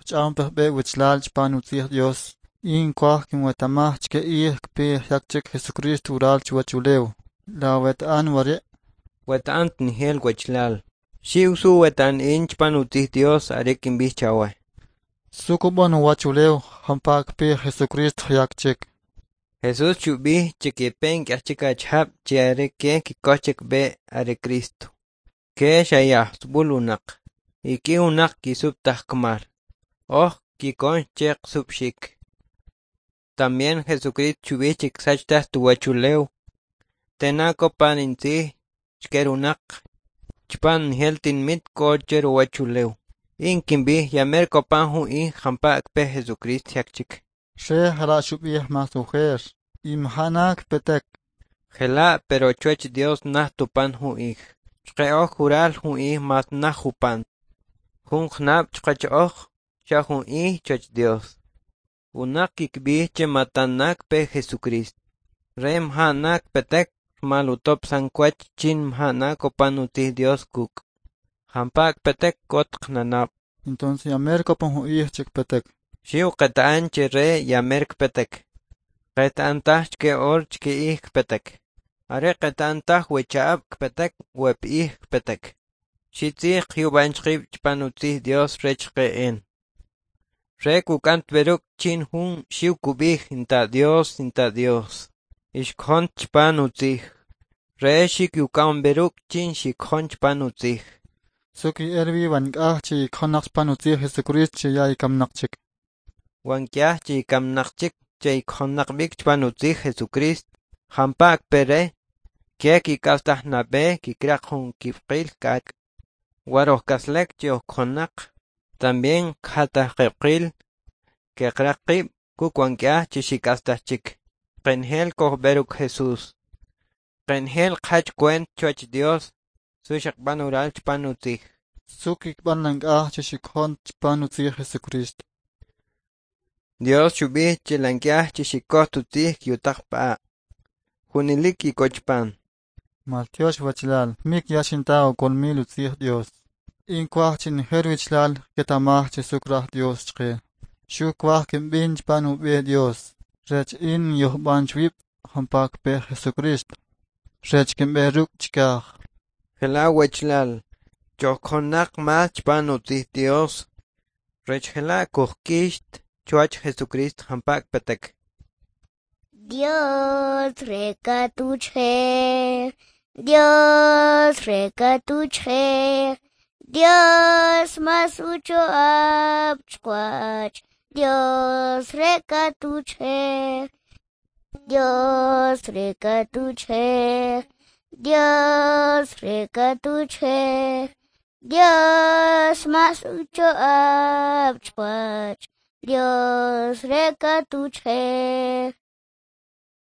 Kojch'aw pajb'e' wichlal chpan utzij Dios. In kwaj kinwetamaj chike ij kpe jyak chik Jesucristo ural chuwach ulew. La weta'an wari'? Weta'an tnejel wechlal. Xiw su weta'an in chpan utzij Dios are kinb'ij chawe. Su kub'an uwach ulew jampa' kpe Jesucristo jyak chik. Jesús xub'ij che kepe nk'aj chik achijab' che are ke kikoj che kb'e' are Cristo. Ke xa yajsub'ul unaq, y k'i unaq kisub' taj kmal. Oj kikon che qsub'xik. También Jesucristo xub'ij che ksach taj tuwachulew. Tena kopan intzij chke runaq chpan njel tinmit k'o che ruwachulew. In kinb'ij ya mer kopan jun ij jampa' kpe Jesucristo jyak chik. Re jala' xub'ij mas ujer. Y mjana kpetek. Jela' pero chuwach Dios naj tupan jun ij. Chqe oj jural jun ij mas naj jupan. Jun jnab' chqach oj xa jun ij chuwach Dios. Unaq kikb'ij che matan kpe Jesucristo. Re mjana kpetek rmal utob'san kwach chin mjana kopan utzij Dios kuk'. Jampa' kpetek k'ot qnanab'. Entonces ya mer kopan jun ij che kpetek. Xiw qeta'an che re ya mer kpetek. Qeta'an taj chke or chke ij kpetek. Are qeta'an taj we cha'ab' kpetek we p'ij kpetek. Xitzij qyub'an chqib' chpan utzij Dios rech qe'en. Re kuk'an tberuk chin jun xiw kub'ij inta Dios, inta Dios. Ixkjon chpan utzij. Re xikyuk'an beruk chin xikjon chpan utzij. Su ki'el wi wa nk'aj che ikjonaq chpan utzij Jesucristo che ya ikamnaq chik. Wa nk'aj che ikamnaq chik che ikjonaq b'ik chpan utzij Jesucristo. Jampa' kpe re, ke kik'astaj nab'e kikraq jun kib'qil k'ak'. War oj k'aslek che oj kjonaq, también kjataj qib'qil keqraq qib' kuk' wa nk'aj che xik'astaj chik. Qenjel kojb'e ruk' Jesús. Qenjel qjach kwent chuwach Dios su xaqb'an ural chpan utzij. Su kikb'an la nk'aj che xikjon chpan utzij Jesucristo. Dios xub'ij che la nk'aj che xikoj tutzij kyutaq p'a'. Junilik kikoj chpan. Maltyox wachlal, mik ya xinta ukolmil utzij Dios. In kwaj che njel wichlal ketamaj che su kraj Dios chqe. Xu kwaj kinb'in chpan ub'e Dios. Rech in yojb'an chwib' jampa' kpe Jesucristo. Rech kinb'e ruk' chikaj. Jela' wechlal, chojkjonaq mas chpan utzij Dios. Rech jela' kujk'ixt chuwach Jesucristo jampa' kpetek. Dios rekatuchjer, Dios rekatuchjer, Dios mas ucho'ab chqwach, Dios rekatuchjer, Dios rekatuchjer, Dios rekatuchjer, Dios mas ucho'ab chqwach, Dios rekatuchjer.